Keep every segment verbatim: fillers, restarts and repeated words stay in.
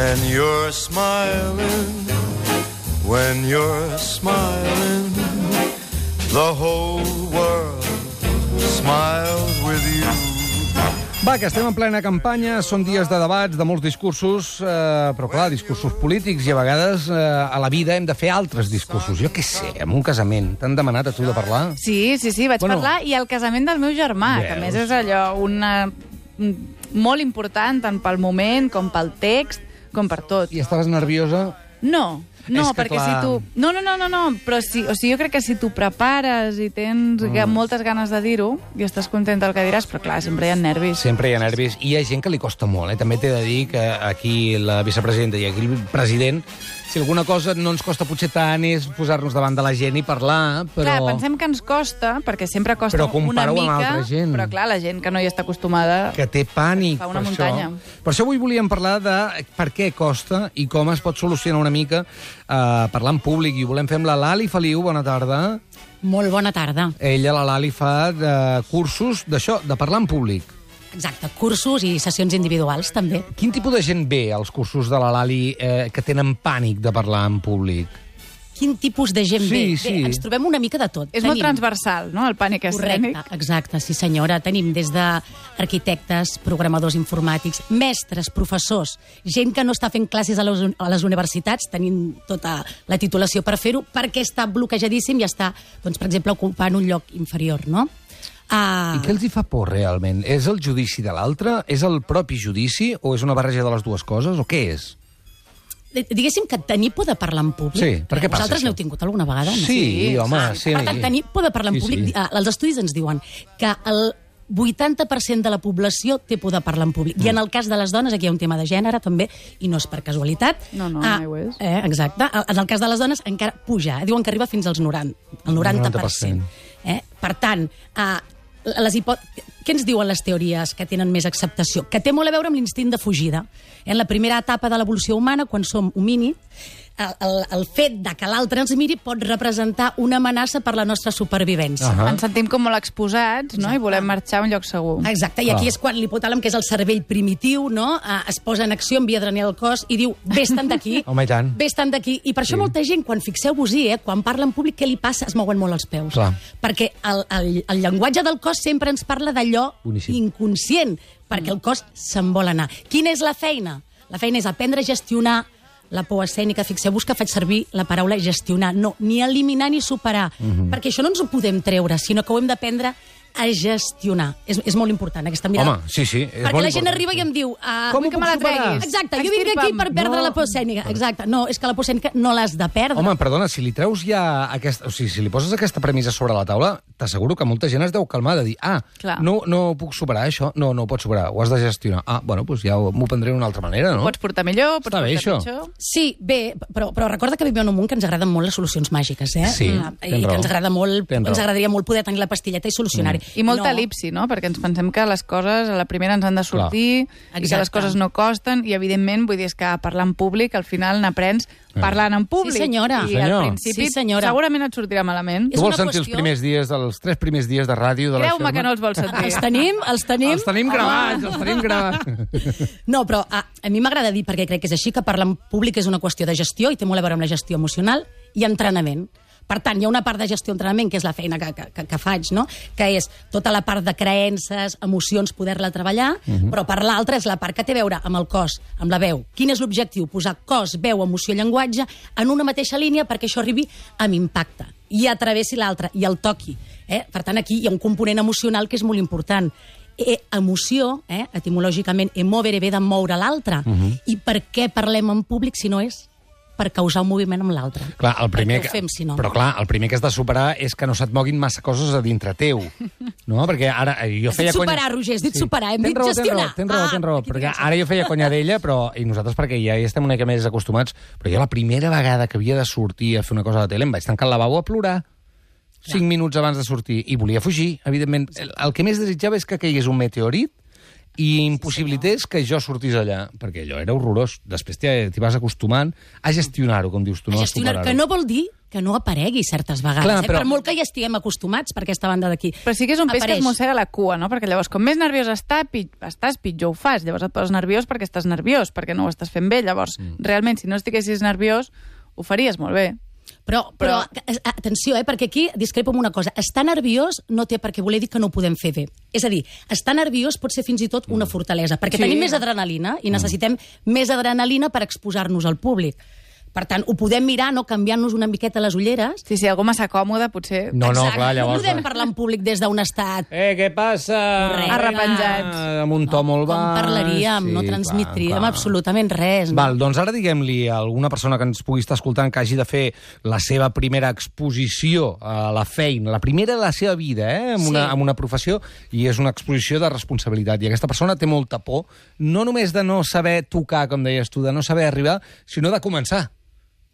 When you're smiling, when you're smiling, the whole world smiles with you. Va, que estem en plena campanya, són dies de debats, de molts discursos, eh, però clar, discursos polítics, i a vegades eh, a la vida hem de fer altres discursos. Jo què sé, en un casament, t'han demanat a tu de parlar? Sí, sí, sí, vaig Bueno. parlar, i el casament del meu germà, que a Veus? més és allò una, molt important, tant pel moment com pel text, com per tot. I estaves nerviosa? No, no, És que, perquè clar. si tu... No, no, no, no, no, però sí, o sigui, jo crec que si tu prepares i tens mm. moltes ganes de dir-ho i estàs content del que diràs, però clar, sempre hi ha nervis. Sempre hi ha nervis. I hi ha gent que li costa molt, eh? També t'he de dir que aquí la vicepresidenta i aquí el president, si alguna cosa no ens costa potser tant és posar-nos davant de la gent i parlar, però... Clar, pensem que ens costa, perquè sempre costa Però una compara-ho amb mica, altra gent. però clar, la gent que no hi està acostumada... que té pànic Fa una per muntanya. això. Per això avui volíem parlar de per què costa i com es pot solucionar una mica eh, parlar en públic. I ho volem fer amb la Lali Feliu. Bona tarda. Molt bona tarda. Ella, la Lali, fa eh, cursos d'això, de parlar en públic. Exacte, cursos i sessions individuals, també. Quin tipus de gent ve als cursos de la Lali eh, que tenen pànic de parlar en públic? Quin tipus de gent Sí, ve? sí. Bé, ens trobem una mica de tot. És molt transversal, no?, el pànic escènic. Correcte, exacte, sí senyora. Tenim des d'arquitectes, programadors informàtics, mestres, professors, gent que no està fent classes a les, a les universitats, tenint tota la titulació per fer-ho, perquè està bloquejadíssim i està, doncs, per exemple, ocupant un lloc inferior, no? Uh... I què els hi fa por, realment? És el judici de l'altre? És el propi judici? O és una barreja de les dues coses? O què és? Diguéssim que tenir por de parlar en públic... Sí, per què passa Vosaltres això? n'heu tingut alguna vegada? No? Sí, sí, home, sí. Per tant, tenir por de parlar en Sí, públic... sí. Sí. Els estudis ens diuen que el vuitanta per cent de la població té por de parlar en públic. Mm. I en el cas de les dones, aquí hi ha un tema de gènere, també, i no és per casualitat. No, no, ah, mai ho és. Eh, exacte. En el cas de les dones encara puja. Eh? Diuen que arriba fins als noranta, el noranta per cent. Eh? Per tant, eh, les hipò... què ens diuen les teories que tenen més acceptació? Que té molt a veure amb l'instint de fugida. En la primera etapa de l'evolució humana, quan som homínids, el, el, el fet de que l'altre ens miri pot representar una amenaça per la nostra supervivència. Ahà. Ens sentim com molt exposats, no?, i volem marxar a un lloc segur. Exacte, i aquí Ah. és quan l'hipotàlem, que és el cervell primitiu, no? Eh, es posa en acció, envia adrenalina al cos i diu, vés-te'n d'aquí, Home, i tant. vés-te'n d'aquí. I per això Sí. molta gent, quan fixeu-vos-hi, eh, quan parla en públic, què li passa? Es mouen molt els peus. Clar. Perquè el, el, el llenguatge del cos sempre ens parla d'allò Boníssim. inconscient, perquè el cos se'n vol anar. Quina és la feina? La feina és aprendre a gestionar la por escènica. Fixeu-vos que faig servir la paraula gestionar, no, ni eliminar ni superar, Mhm. perquè això no ens ho podem treure, sinó que ho hem d'aprendre a gestionar. És, és molt important, aquesta mirada. Home, sí, sí, és Perquè molt la gent important. arriba i em diu... Uh, Com ho vull que puc me la superar? treguis. Exacte, jo vinc aquí per perdre No. la por escènica. Exacte, no, és que la por escènica no l'has de perdre. Home, perdona, si li treus ja aquesta... O sigui, si li poses aquesta premissa sobre la taula, t'asseguro que molta gent es deu calmar de dir ah, Clar. no, no puc superar això, no, no ho pots superar, ho has de gestionar. Ah, bueno, doncs ja m'ho prendré d'una altra manera, no? Pots portar millor, pots Està bé, portar això. pitjor... Sí, bé, però, però recorda que vivim en un món que ens agraden molt les solucions màgiques, eh? Sí, Ah, tens I raó. que ens agrada molt, Tens ens raó. agradaria molt poder tenir la pastilleta i solucionar-hi. I molta no. elipsi, no?, perquè ens pensem que les coses a la primera ens han de sortir, Clar. i que les Exacte. coses no costen, i evidentment, vull dir, és que parlar en públic, al final n'aprens parlant en públic. Sí, senyora. I Senyor. al principi Sí, senyora. segurament et sortirà malament. És Tu vols una sentir els qüestió- primers dies, els tres primers dies de ràdio de la Creu-me Xerma? que no els vols sentir. Els tenim, els tenim. Els tenim gravats, els tenim gravats. No, però a, a mi m'agrada dir, perquè crec que és així, que parlar en públic és una qüestió de gestió i té molt a veure amb la gestió emocional i entrenament. Per tant, hi ha una part de gestió d'entrenament, que és la feina que, que, que faig, no? Que és tota la part de creences, emocions, poder-la treballar, uh-huh. però per l'altra és la part que té a veure amb el cos, amb la veu. Quin és l'objectiu? Posar cos, veu, emoció, llenguatge en una mateixa línia perquè això arribi amb impacte i atravessi l'altra i el toqui. Eh? Per tant, aquí hi ha un component emocional que és molt important. E, emoció, eh, etimològicament, emovere ve de moure l'altre. Uh-huh. I per què parlem en públic si no és per causar un moviment amb l'altre? Clar, el primer Perquè ho fem, si no. Però clar, el primer que has de superar és que no se't moguin massa coses a dintre teu. No? Perquè ara jo Has feia dit superar, conya... Roger, has dit superar, hem Tens dit raó, gestionar. Tens raó, Ah, tens raó, aquí perquè tens ara jo feia conya d'ella, però i nosaltres perquè ja hi estem una mica més acostumats, però jo la primera vegada que havia de sortir a fer una cosa a la tele em vaig tancar al lavabo a plorar cinc minuts abans de sortir i volia fugir, evidentment. El, el que més desitjava és que caigués un meteorit i impossibilités que jo sortís allà, perquè allò era horrorós. Després t'hi t'hi vas acostumant a gestionar-ho, com dius tu, no A a gestionar, superar-ho. que no vol dir que no aparegui certes vegades, Clar, eh? però- Per molt que hi estiguem acostumats per aquesta banda d'aquí. Però sí que és un peix que Apareix. es mossega la cua, no? Perquè llavors, com més nerviós està, pi- estàs, pitjor ho fas. Llavors et poses nerviós perquè estàs nerviós, perquè no ho estàs fent bé. Llavors, mm. realment, si no estiguessis nerviós, ho faries molt bé. Però, però, però atenció, eh, perquè aquí discrepo amb una cosa. Estar nerviós no té per què voler dir que no ho podem fer bé. És a dir, estar nerviós pot ser fins i tot una fortalesa, perquè Sí. tenim més adrenalina i necessitem més adrenalina per exposar-nos al públic. Per tant, ho podem mirar, no canviant-nos una miqueta les ulleres. Sí, sí, algú massa còmode, potser... No, no, Exacte. clar, No llavors... podem parlar en públic des d'un estat... Eh, què passa? Correcte. Arrepenjats. Amb un to molt Com baix. parlaríem? Sí, no clar, transmetríem clar. absolutament res. No? Val, doncs ara diguem-li a alguna persona que ens pugui estar escoltant que hagi de fer la seva primera exposició a la feina, la primera de la seva vida, eh, amb, una, Sí. amb una professió, i és una exposició de responsabilitat. I aquesta persona té molta por, no només de no saber tocar, com deies tu, de no saber arribar, sinó de començar.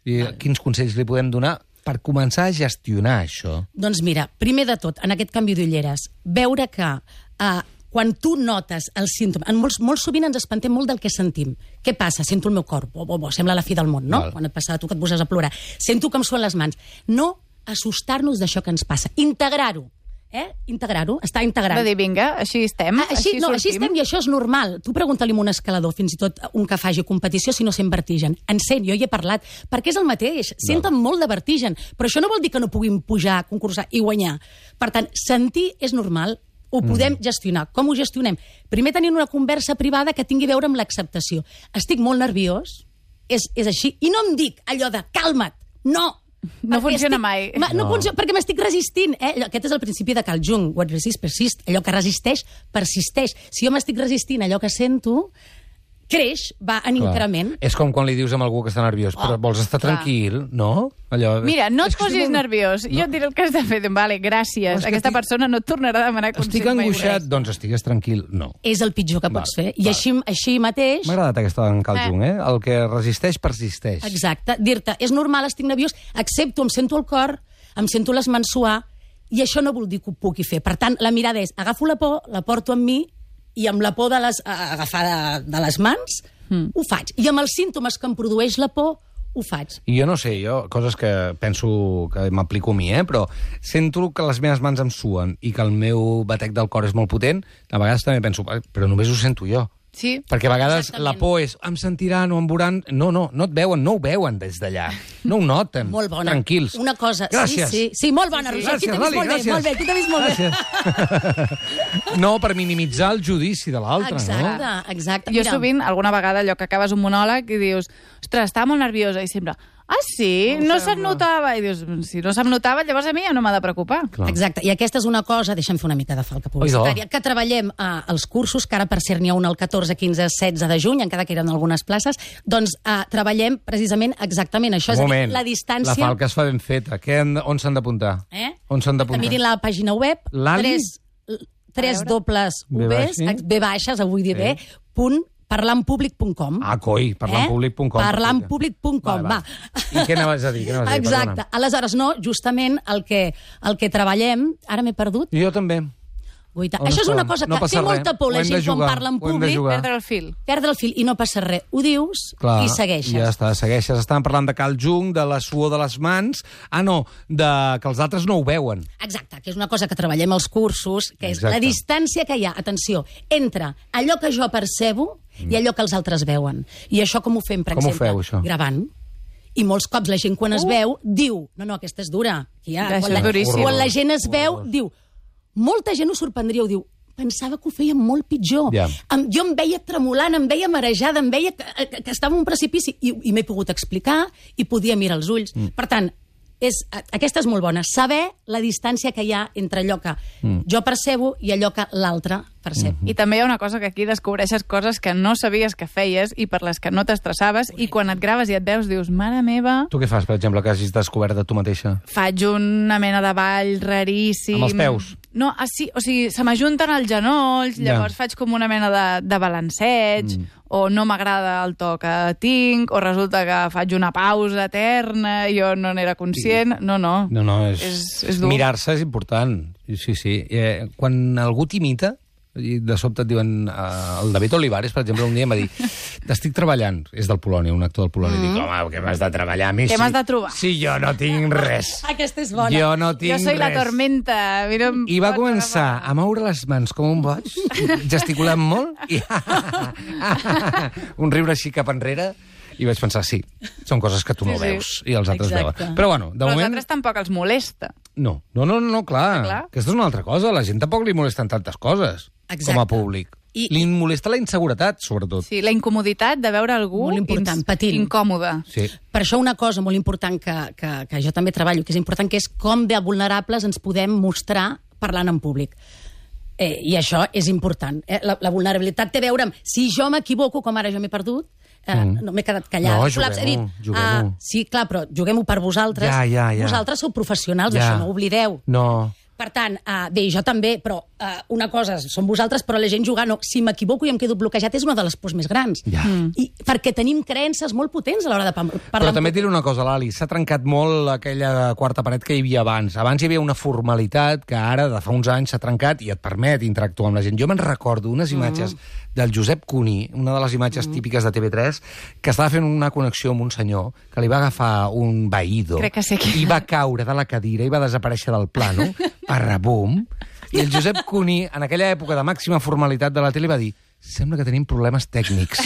I quins consells li podem donar per començar a gestionar això? Doncs mira, primer de tot, en aquest canvi d'ulleres, veure que eh, quan tu notes el símptoma... En molts, molt sovint ens espantem molt del que sentim. Què passa? Sento el meu cor. Bo, bo, bo, sembla la fi del món, no? Val. Quan et passa a tu que et poses a plorar. Sento que em suen les mans. No assustar-nos d'això que ens passa. Integrar-ho. Eh? Integrar-ho. Està integrant. De dir, vinga, així estem, Ah, així, no, així sortim. estem i això és normal. Tu pregunta-li a un escalador, fins i tot un que faci competició, si no sent vertigen. En sent, jo hi he parlat, perquè és el mateix. Senten molt de vertigen, però això no vol dir que no puguin pujar, concursar i guanyar. Per tant, sentir és normal, ho podem mm. gestionar. Com ho gestionem? Primer tenint una conversa privada que tingui a veure amb l'acceptació. Estic molt nerviós, és, és així, i no em dic allò de calma't, no! No Perquè funciona estic, mai. Ma, no, No. funciona, perquè m'estic resistint. Eh? Aquest és el principi de Carl Jung. What resist, persist. Allò que resisteix, persisteix. Si jo m'estic resistint allò que sento, creix, va en Clar. increment. És com quan li dius a algú que està nerviós, però Oh, vols estar clar. tranquil, no? Allò... Mira, no et És que estic posis molt- nerviós. Jo et diré el que has de fer. Vale, gràcies. És que Aquesta estic- persona no et tornarà a demanar consell Estic mai angoixat, més. doncs estigues tranquil. No. És el pitjor que Val, pots fer. I val. així, així mateix... M'ha agradat aquesta d'en Carl Eh. Jung, eh? El que resisteix, persisteix. Exacte. Dir-te, és normal, estic nerviós, accepto, em sento el cor, em sento les mans suar, i això no vol dir que ho pugui fer. Per tant, la mirada és, agafo la por, la porto amb mi, i amb la por de les, a, agafar de, de les mans, mm. ho faig. I amb els símptomes que em produeix la por, ho faig. I jo no sé, jo, coses que penso que m'aplico a mi, eh? Però sento que les meves mans em suen i que el meu batec del cor és molt potent, a vegades també penso, però només ho sento jo. Sí. Perquè a vegades Exactament. la por és, em sentiran o em veuran... No, no, no et veuen, no ho veuen des d'allà. No ho noten. Molt bona. Tranquils. Una cosa... Gràcies. Sí, sí, sí, molt bona, Sí, sí. Roger. Aquí Gràcies, t'he vist Lali, molt gràcies. bé, molt bé, aquí t'he vist molt bé. Gràcies. No, per minimitzar el judici de l'altre, no? Exacte, exacte. Jo Mira, sovint, alguna vegada, allò que acabes un monòleg i dius, ostres, estava molt nerviosa, i sempre, ah, sí? No, no se't notava. I dius, si no se'm notava, llavors a mi ja no m'ha de preocupar. Clar. Exacte, i aquesta és una cosa, deixa'm fer una mica de falca publicitària, que treballem eh, als cursos, que ara per cert n'hi ha un el catorze, quinze, setze de juny, encara que eren algunes places, doncs eh, treballem precisament exactament això, és Un a dir, moment, la distància... la falca es fa ben feta. Què han de- on s'han d'apuntar? Eh? On s'han Que d'apuntar? mirin la pàgina web, Lali? tres, tres dobles B Vs, baix, sí. B baixes, avui dir bé, punt parlampúblic punt com. Ah, coi, parlampúblic punt com. Eh? parlampúblic punt com, Vale, va. va. I què anaves a dir? Què anaves a dir? Exacte. Perdona. Aleshores, no, justament el que, el que treballem... Ara m'he perdut. Jo també. Guaita. On Això és estàvem? una cosa que No passa té molta res. por Ho la hem de gent quan jugar. parla en Ho hem de públic. jugar. Perdre el fil. Perdre el fil i no passa res. Ho dius Clar, i segueixes. Ja està, segueixes. Estàvem parlant de Carl Jung, de la suor de les mans... Ah, no, de que els altres no ho veuen. Exacte, que és una cosa que treballem als cursos, que és Exacte. la distància que hi ha, atenció, entre allò que jo percebo i allò que els altres veuen. I això com ho fem, per Com ho exemple? feu, això? Gravant. I molts cops la gent quan es veu diu, no, no, aquesta és dura. Aquí hi ha, Això quan, és la, duríssim. quan la gent es veu, diu, molta gent ho sorprendria, ho diu, pensava que ho feia molt pitjor. Ja. Em, jo em veia tremolant, em veia marejada, em veia que, que, que estava en un precipici i, i m'he pogut explicar i podia mirar els ulls. Mm. Per tant, és, aquesta és molt bona. Saber la distància que hi ha entre allò que mm. jo percebo i allò que l'altre percep. Mm. I també hi ha una cosa que aquí descobreixes coses que no sabies que feies i per les que no t'estressaves, i quan et graves i et veus dius, mare meva, Tu què fas, per exemple, que hagis descobert de tu mateixa? faig una mena de ball raríssim. Amb els peus? No, ah, sí, o sigui, se m'ajunten els genolls, Ja. llavors faig com una mena de, de balanceig, mm. o no m'agrada el to que tinc, o resulta que faig una pausa eterna, jo no n'era conscient. No, no. No, no, és... És, és dur. Mirar-se és important. Sí, sí. Eh, quan algú t'imita, i de sobte et diuen... Uh, el David Olivares, per exemple, un dia em va dir estic treballant, és del Polònia, un actor del Polònia, mm. i dic, home, què m'has de treballar a mi? Què si, m'has de trobar? Si jo no tinc res. Aquesta és bona. Jo no tinc Jo soy res. la tormenta. Mira, I va començar a moure les mans com un boig, gesticulant molt, i un riure així cap enrere, i vaig pensar, sí, són coses que tu no Sí, sí. veus, i els altres Exacte. veuen. Però bueno, de Però als moment... altres tampoc els molesta. No, no, no, no clar. clar. Aquesta és una altra cosa. La gent tampoc li molesten tantes coses Exacte. com a públic. I- Li molesta la inseguretat, sobretot. Sí, la incomoditat de veure algú Molt important, ins- patint. incòmode. Sí. Per això una cosa molt important que, que, que jo també treballo, que és important, que és com de vulnerables ens podem mostrar parlant en públic. Eh, I això és important. Eh? La, la vulnerabilitat té a veure amb si jo m'equivoco, com ara jo m'he perdut, eh, mm. no m'he quedat callada. No, Col·lapse. He dit, juguem-ho, juguem-ho. ah, sí, clar, però juguem-ho per vosaltres. Ja, ja, ja. Vosaltres sou professionals, Ja. això no ho oblideu. No. Per tant, uh, bé, jo també, però uh, una cosa són vosaltres, però la gent jugar no. Si m'equivoco i em quedo bloquejat és una de les pors més grans. Ja. Mm. I perquè tenim creences molt potents a l'hora de parlar. Però també et diré una cosa, Lali, s'ha trencat molt aquella quarta paret que hi havia abans. Abans hi havia una formalitat que ara, de fa uns anys, s'ha trencat i et permet interactuar amb la gent. Jo me'n recordo unes imatges mm. del Josep Cuní, una de les imatges mm. típiques de T V tres, que estava fent una connexió amb un senyor que li va agafar un vaído Crec que sé qui i va caure de la cadira i va desaparèixer del plano, parrabum, i el Josep Cuní, en aquella època de màxima formalitat de la tele, va dir sembla que tenim problemes tècnics.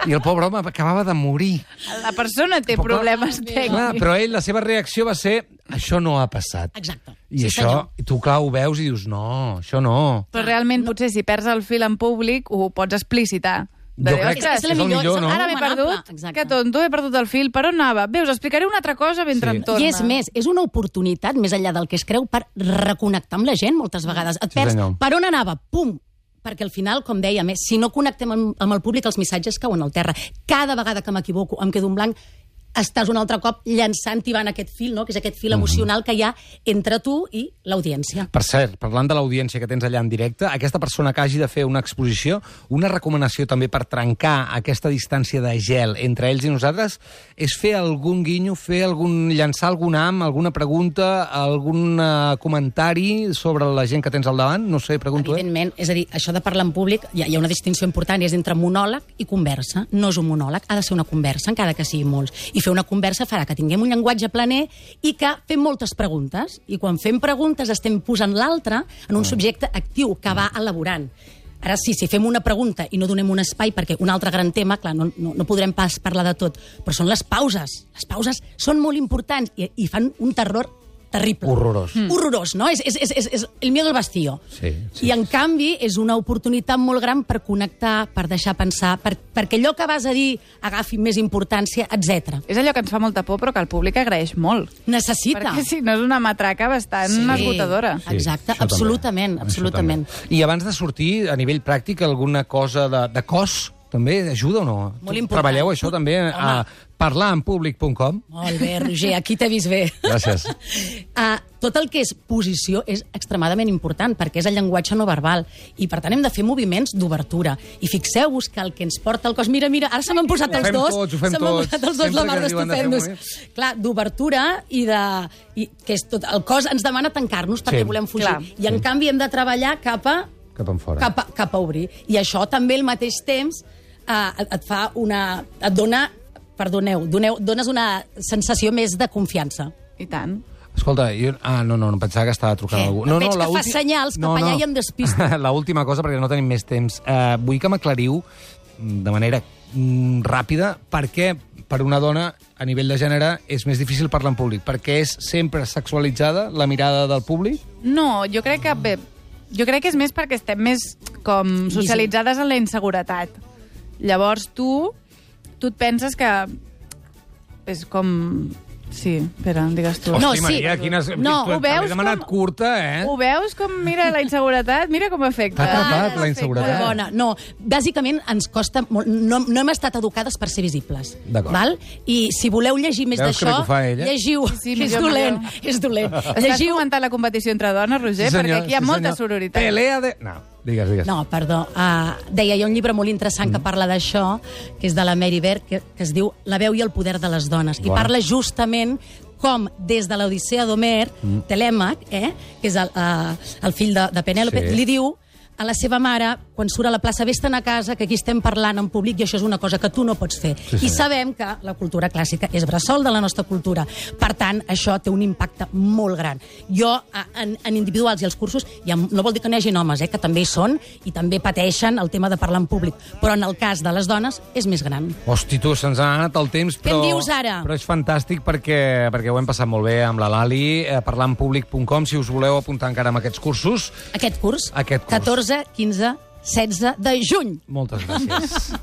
I el pobre home acabava de morir. La persona té Però clar, problemes Clar, tècnics. però ell, la seva reacció va ser això no ha passat. Exacte. I Sí, això, senyor. tu clar, ho veus i dius no, això no. Però realment, potser, si perds el fil en públic, ho pots explicitar. De Jo dir, crec que "Ostres, és el millor, és el no? Ara m'he recomanable. perdut, Exacte. que tonto, he perdut el fil, per on anava? Veus, explicaré una altra cosa mentre Sí. em torna. I és més, és una oportunitat, més enllà del que es creu, per reconnectar amb la gent moltes vegades. Et Sí, perds, senyor. per on anava? Pum! Perquè al final, com dèiem, eh, si no connectem amb, amb el públic, els missatges cauen al terra. Cada vegada que m'equivoco, em quedo en blanc, estàs un altre cop llançant i van aquest fil, no? Que és aquest fil emocional que hi ha entre tu i l'audiència. Per cert, parlant de l'audiència que tens allà en directe, aquesta persona que hagi de fer una exposició, una recomanació també per trencar aquesta distància de gel entre ells i nosaltres, és fer algun guinyo, fer algun, llançar algun am, alguna pregunta, algun uh, comentari sobre la gent que tens al davant? No sé, pregunto, eh? Evidentment, és a dir, això de parlar en públic, hi ha, hi ha una distinció important, i és entre monòleg i conversa. No és un monòleg, ha de ser una conversa, encara que sigui molts. I fer una conversa farà que tinguem un llenguatge planer i que fem moltes preguntes. I quan fem preguntes estem posant l'altre en un subjecte actiu que va elaborant. Ara sí, si fem una pregunta i no donem un espai, perquè un altre gran tema, clar, no, no, no podrem pas parlar de tot, però són les pauses. Les pauses són molt importants i, i fan un terror terrible. Horrorós. Mm. Horrorós, no? És, és, és, és, és el miedo al vacío. Sí, sí. I, en canvi, és una oportunitat molt gran per connectar, per deixar pensar, per, perquè allò que vas a dir agafi més importància, etcètera. És allò que ens fa molta por, però que el públic agraeix molt. Necessita. Perquè si no és una matraca bastant Sí. esgotadora. Sí, Exacte, això també. absolutament, Això absolutament. també. I abans de sortir, a nivell pràctic, alguna cosa de, de cos també ajuda o no? Molt Tu important. Treballeu això també a parlar en públic punt com? Molt bé, Roger, aquí t'he vist bé. Gràcies. Uh, tot el que és posició és extremadament important, perquè és el llenguatge no verbal, i per tant hem de fer moviments d'obertura. I fixeu-vos que el que ens porta el cos... Mira, mira, ara se m'han posat Ho els fem dos. tots, ho fem se m'han tots. posat els dos Sempre la mar que diuen de fer d'estupendos. moviments. Clar, d'obertura i de... I, que és tot, el cos ens demana tancar-nos perquè Sí. volem fugir. Clar. I en canvi hem de treballar cap a, Cap en fora. cap a, cap a obrir. I això també al mateix temps eh, et, et fa una... et dona... Perdoneu, doneu, dones una sensació més de confiança. I tant. Escolta, jo... Ah, no, no, no pensava que estava trucant Què? algú. No, No, veig no, que la fas ulti- senyals cap allà i em despisto. L'última cosa, perquè no tenim més temps. Uh, vull que m'aclariu mm, de manera mm, ràpida per què per una dona a nivell de gènere és més difícil parlar en públic. Perquè és sempre sexualitzada la mirada del públic? No, jo crec que... Bé, jo crec que és més perquè estem més com socialitzades en la inseguretat. Llavors tu, tu et penses que és com... Sí, espera, digues tu. Hosti, No, sí. Maria, quines... No, tu ho veus t'has demanat com- curta, eh? Ho veus com, mira, la inseguretat? Mira com afecta. T'ha atrapat, Ah, la afecta. inseguretat. Molt bona. No, bàsicament ens costa molt... No, no hem estat educades per ser visibles. D'acord. Val? I si voleu llegir més Veus que bé d'això, que ho fa ella? llegiu. Sí, és millor, dolent, millor. és dolent. Estàs Llegiu... fomentant la competició entre dones, Roger? Sí, senyor, perquè aquí hi ha sí, molta senyor. sororitat. Pelea de... No, digues, digues. No, perdó. Uh, deia, hi ha un llibre molt interessant Mm. que parla d'això, que és de la Mary Berg, que, que es diu La veu i el poder de les dones. I Bona. parla justament com des de l'Odissea d'Homer, mm. Telèmac, eh, que és el, uh, el fill de, de Penèlope, Sí. li diu a la seva mare, quan surt a la plaça, vés-te'n a casa, que aquí estem parlant en públic i això és una cosa que tu no pots fer. Sí, sí. I sabem que la cultura clàssica és bressol de la nostra cultura. Per tant, això té un impacte molt gran. Jo, en, en individuals i els cursos, ja no vol dir que no hi hagi homes, eh, que també hi són i també pateixen el tema de parlar en públic, però en el cas de les dones és més gran. Hosti, tu, se'ns ha anat el temps, però... Què em dius ara? Però és fantàstic perquè, perquè ho hem passat molt bé amb la Lali, eh, parlanpublic punt com, si us voleu apuntar encara amb aquests cursos. Aquest curs? Aquest curs. catorze, quinze, setze de juny. Moltes gràcies.